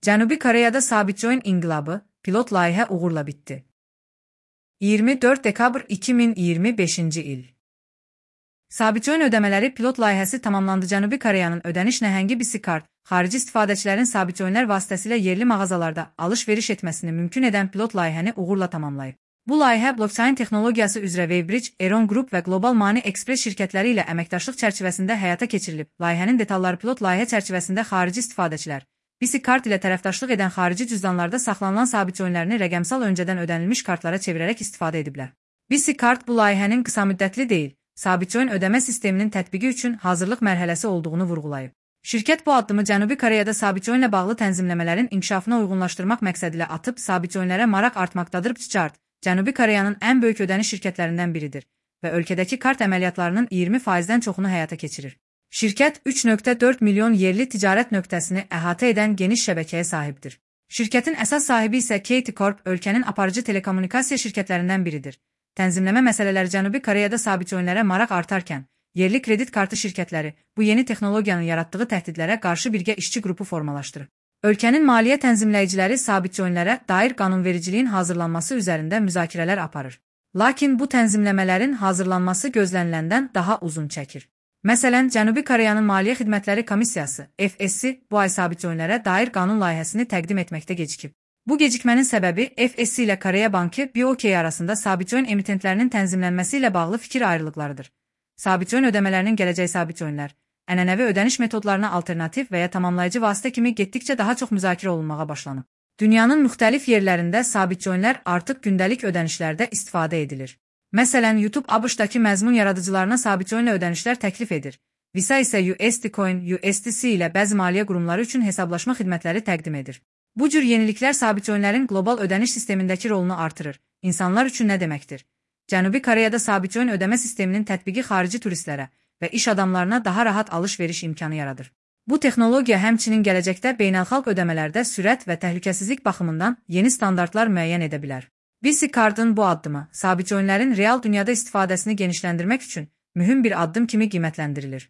Cənubi Koreyada sabitçi oyun inqilabı, pilot layihə uğurla bitdi. 24 dekabr 2025-ci il. Sabitçi oyun ödəmələri pilot layihəsi tamamlandı. Cənubi Koreyanın ödəniş nəhəngi BC-Card, xarici istifadəçilərin sabitçi oyunlar vasitəsilə yerli mağazalarda alış-veriş etməsini mümkün edən pilot layihəni uğurla tamamlayıb. Bu layihə blockchain texnologiyası üzrə Wavebridge, Eron Group və Global Money Express şirkətləri ilə əməkdaşlıq çərçivəsində həyata keçirilib. Layihənin detalları pilot layihə çərçivəsində xarici istifadəçilər BC-Card ilə tərəfdaşlıq edən xarici cüzdanlarda saxlanılan sabitçi oyunlarını rəqəmsal öncədən ödənilmiş kartlara çevirərək istifadə ediblər. BC-Card bu layihənin qısamüddətli deyil, sabitçi oyun ödəmə sisteminin tətbiqi üçün hazırlıq mərhələsi olduğunu vurğulayıb. Şirkət bu addımı Cənubi Koreyada sabitçi oyunla bağlı tənzimləmələrin inkişafına uyğunlaşdırmaq məqsədilə atıb, sabitçi oyunlara maraq artmaqdadır. BC-Card Cənubi Koreyanın ən böyük ödəniş şirkətlərindən biridir və ölkədəki kart əməliyyatlarının 20%-dən çoxunu həyata keçirir. Şirkət 3,4 milyon yerli ticarət nöqtəsini əhatə edən geniş şəbəkəyə sahibdir. Şirkətin əsas sahibi isə KT Corp ölkənin aparıcı telekommunikasiya şirkətlərindən biridir. Tənzimləmə məsələləri Cənubi Koreyada sabitçi oyunlara maraq artarkən, yerli kredit kartı şirkətləri bu yeni texnologiyanın yaratdığı təhdidlərə qarşı birgə işçi qrupu formalaşdırır. Ölkənin maliyyə tənzimləyiciləri sabitçi oyunlara dair qanunvericiliyin hazırlanması üzərində müzakirələr aparır. Lakin bu tənzimləmələrin hazırlanması gözləniləndən daha uzun çəkir. Məsələn, Cənubi Koreyanın Maliyyə Xidmətləri Komissiyası (FSC) bu ay sabitçi oyunlara dair qanun layihəsini təqdim etməkdə gecikib. Bu gecikmənin səbəbi FSC ilə Koreya Bankı BOK arasında sabitçi oyun emitentlərinin tənzimlənməsi ilə bağlı fikir ayrılıqlarıdır. Sabitçi oyun ödəmələrinin gələcək sabitçi oyunlar, ənənəvi ödəniş metodlarına alternativ və ya tamamlayıcı vasitə kimi getdikcə daha çox müzakirə olunmağa başlanıb. Dünyanın müxtəlif yerlərində sabitçi oyunlar artıq gündəlik ödənişlərdə istifadə edilir. Məsələn, YouTube ABŞ-dakı məzmun yaradıcılarına sabitçi oyunla ödənişlər təklif edir. Visa isə USD Coin, USDC ilə bəzi maliyyə qurumları üçün hesablaşma xidmətləri təqdim edir. Bu cür yeniliklər sabitçi oyunların qlobal ödəniş sistemindəki rolunu artırır. İnsanlar üçün nə deməkdir? Cənubi Koreyada sabitçi oyun ödəmə sisteminin tətbiqi xarici turistlərə və iş adamlarına daha rahat alış-veriş imkanı yaradır. Bu texnologiya həmçinin gələcəkdə beynəlxalq ödəmələrdə sürət və təhlükəsizlik baxımından yeni standartlar müəyyən edə bilər. BC-Card'ın bu addımı sabitçi oyunların real dünyada istifadəsini genişləndirmək üçün mühüm bir addım kimi qiymətləndirilir.